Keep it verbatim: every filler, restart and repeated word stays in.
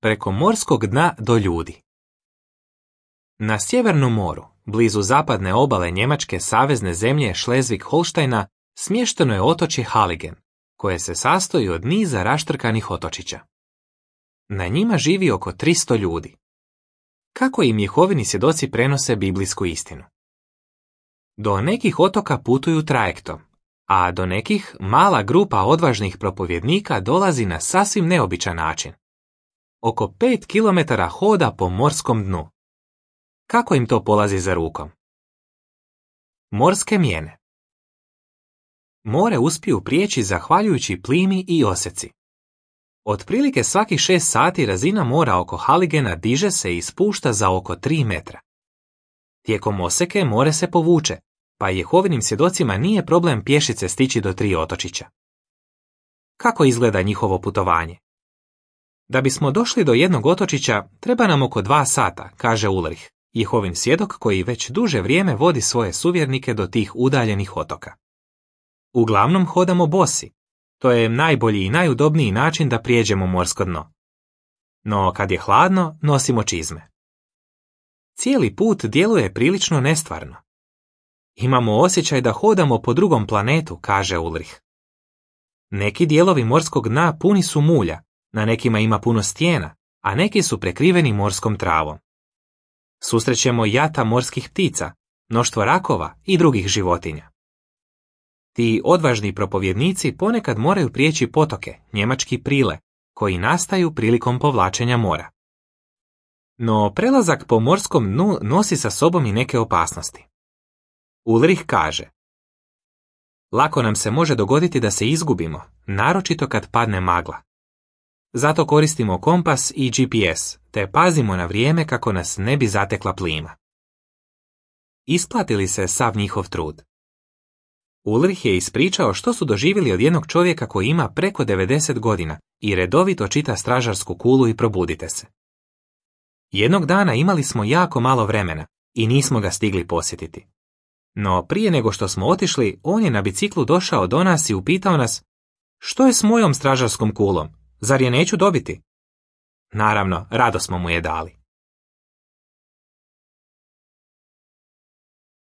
preko morskog dna do ljudi. Na Sjevernom moru, blizu zapadne obale njemačke savezne zemlje Šlezvig-Holštajna, smješteno je otočje Haligen, koje se sastoji od niza raštrkanih otočića. Na njima živi oko tristo ljudi. Kako im Jehovini svjedoci prenose biblijsku istinu? Do nekih otoka putuju trajektom, a do nekih mala grupa odvažnih propovjednika dolazi na sasvim neobičan način. Oko pet kilometara hoda po morskom dnu. Kako im to polazi za rukom? Morske mijene. More uspiju prijeći zahvaljujući plimi i oseci. Otprilike svakih šest sati razina mora oko Haligena diže se i spušta za oko tri metra. Tijekom oseke more se povuče, pa Jehovinim svjedocima nije problem pješice stići do tri otočića. Kako izgleda njihovo putovanje? Da bismo došli do jednog otočića, treba nam oko dva sata, kaže Ulrich, Jehovin svjedok koji već duže vrijeme vodi svoje suvjernike do tih udaljenih otoka. Uglavnom hodamo bosi. To je najbolji i najudobniji način da prijeđemo morsko dno. No kad je hladno, nosimo čizme. Cijeli put djeluje prilično nestvarno. Imamo osjećaj da hodamo po drugom planetu, kaže Ulrich. Neki dijelovi morskog dna puni su mulja, na nekima ima puno stijena, a neki su prekriveni morskom travom. Susrećemo jata morskih ptica, mnoštvo rakova i drugih životinja. Ti odvažni propovjednici ponekad moraju prijeći potoke, njemački prile, koji nastaju prilikom povlačenja mora. No prelazak po morskom dnu nosi sa sobom i neke opasnosti. Ulrich kaže: lako nam se može dogoditi da se izgubimo, naročito kad padne magla. Zato koristimo kompas i G P S, te pazimo na vrijeme kako nas ne bi zatekla plima. Isplati li se sav njihov trud? Ulrich je ispričao što su doživjeli od jednog čovjeka koji ima preko devedeset godina i redovito čita stražarsku kulu i probudite se. Jednog dana imali smo jako malo vremena i nismo ga stigli posjetiti. No prije nego što smo otišli, on je na biciklu došao do nas i upitao nas: što je s mojom stražarskom kulom? Zar je neću dobiti? Naravno, rado smo mu je dali.